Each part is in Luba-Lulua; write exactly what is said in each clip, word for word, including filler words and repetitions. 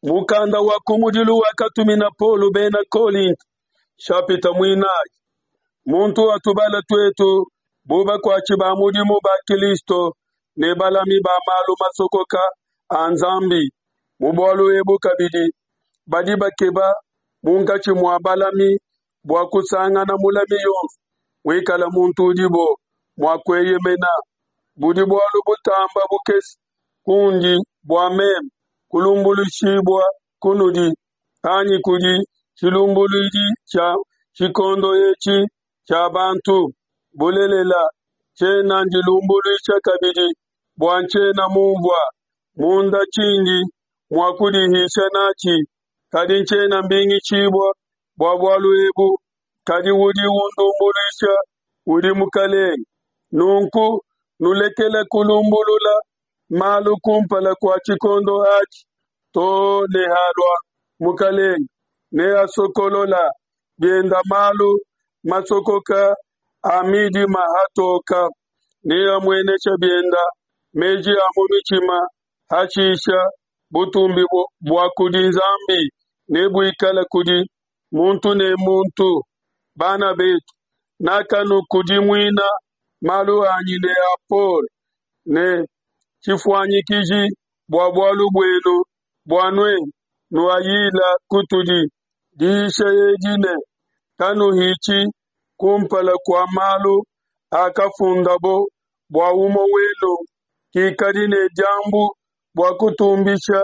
Mukanda wa kumudilu wakatumina Paulo bena Kolinto, nshapita muinayi. Muntu atubala tuetu bu bakuatshi ba mudimu ba Kilisto ne balami ba malu masokoka a Nzambi. Mu bualu ebu kabidi badi bakeba munkatshi mua balami bua kusangana mulami yonso muikale muntu udibo mua kueyemena. Budi bualu butamba bukese kundi bua meme kulumbuluishibua kunudi, anyi kudi tshilumbuluidi tshia tshikondo etshi tshia bantu. Bulelela, tshiena ndilumbuluisha kabidi, bua ntshiena munvua munda tshindi mua kudihisha n'atshi, kadi ntshiena mbingishibua bua bualu ebu, kadi udi undumbuluisha udi Mukelenge. Nunku nulekele kulumbulula malu kumpala kua tshikondo atshi, too ne halua Mukelenge, neasokolola bienda malu masokoka a midima hatoka, neamuenesha bienda meji a mu mitshima. Hashisha butumbi bua kudi Nzambi nebuikale kudi muntu ne muntu. Bana betu, nakanukudimuina malu anyi ne a Paulo ne tshifuanyikiji bua bualu buenu, bua nuenu nuayila kutudi. Diyisha edi ne, Kanuhitshi ku mpala kua malu akafundabo, bua umue wenu kikadi ne diambu bua kutumbisha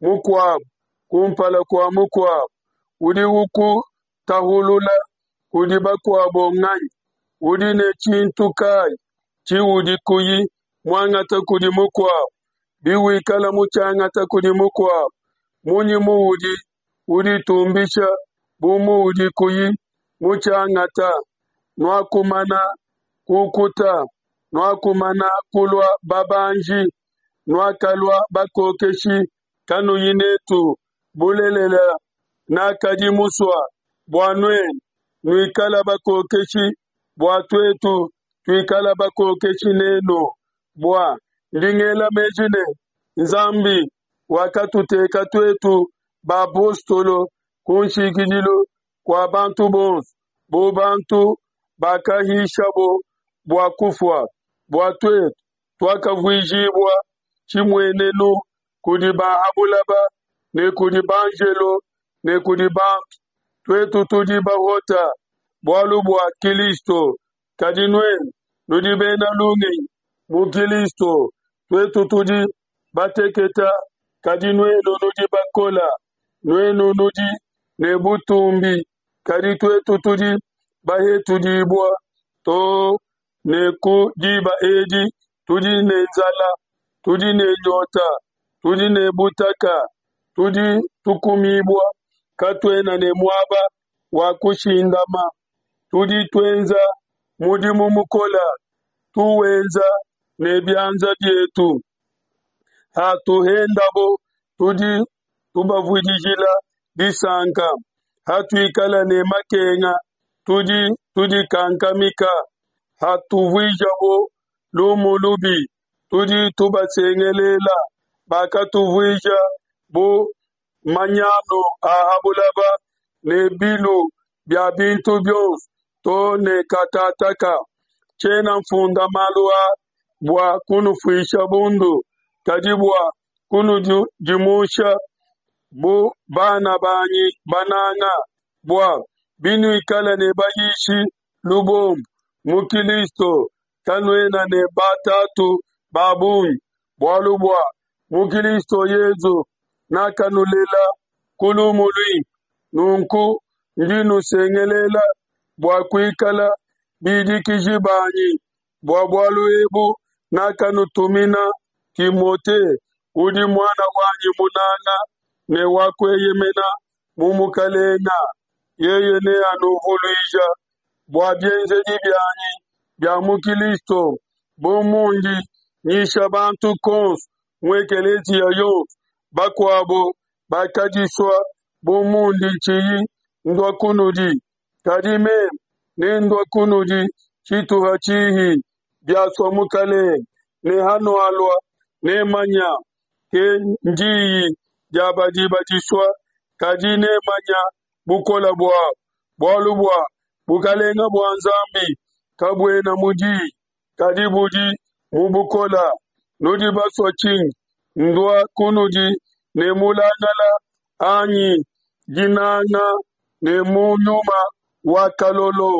mukuabo ku mpala kua mukuabo. Udi ukutahulula kudi bakuabo nganyi? Udi ne tshintu kai tshiudi kuyi muangata kudi mukuabo? Biwikala mutshiangata kudi mukuabo, munyi muudi uditumbisha bu muudi kuyi mutshiangata? Nuakumana kukuta, nuakumana kulua babanji, nuakalua bakokeshi kanuyi n'etu. Bulelela, nakadi musue bua nuenu nuikale bakokeshi, bua tuetu tuikale bakokeshi n'enu. Bua ndi ngela meji ne, Nzambi wakatuteka tuetu bapostolo kunshikidilu kua bantu bonso, bu bantu bakahishabo bua kufua, bua tuetu tuakavuijibua tshimuenenu kudi ba ha buloba ne kudi banjelo ne kudi bantu. Tuetu tudi bahota bualu bua Kilisto, kadi nuenu nudi bena lungenyi mu Kilisto. Tuetu tudi bateketa, kadi nuenu nudi bakola. Nuenu nudi ne butumbi, kadi tuetu tudi bahetudibua. Too ne ku diba edi tudi ne nzala, tudi ne nyota, tudi ne butaka, tudi tukumibua, katuena ne muaba wa kushindama. Tudi tuenza mudimu mukola, tuwenza ne bianza bietu. Hatuhendabo, tudi tubavudijila disanka, hatuikala ne makenga, tudi tudikankamika, hatuvuijabo lumu lubi, tudi tubasengelela. Bakatuvuija bu manyanu a ha buloba ne bilu bia bintu bionso to ne katataka. Tshiena nfunda malu a bua kunufuisha bundu, kadi bua kunudimusha bu bana banyi bananga. Bua binuikala ne bayishi lubombo mu Kilisto, kanuena ne batatu ba bungi, bualu bua mu Kilisto Yesu nakanulela ku lumu luimpe. Nunku ndi nusengelela bua kuikala bidikiji banyi. Bua bualu ebu nakanutumina Timote, udi muana wanyi munanga ne wa kueyemena mu Mukelenge. Yeye neanuvuluija bua bienzedi bianyi bia mu Kilisto, bu mundi nyisha bantu kuonso mu ekeleziya yonso. Bakuabo bakadisua bu mundi tshiyi ndua kunudi, kadi meme nendue kunudi tshituha tshihi, biasua Mukelenge, ne hanualua nemanya, kendiyi dia badi badisua, kadi nemanya bukole buabo. Bualu bua bukelenge bua Nzambi kabuena mu di, kadi budi mu bukole. Nudi basue tshinyi? Ndua kunudi ne mulangala anyi dinanga ne mu nyuma wa kalolo?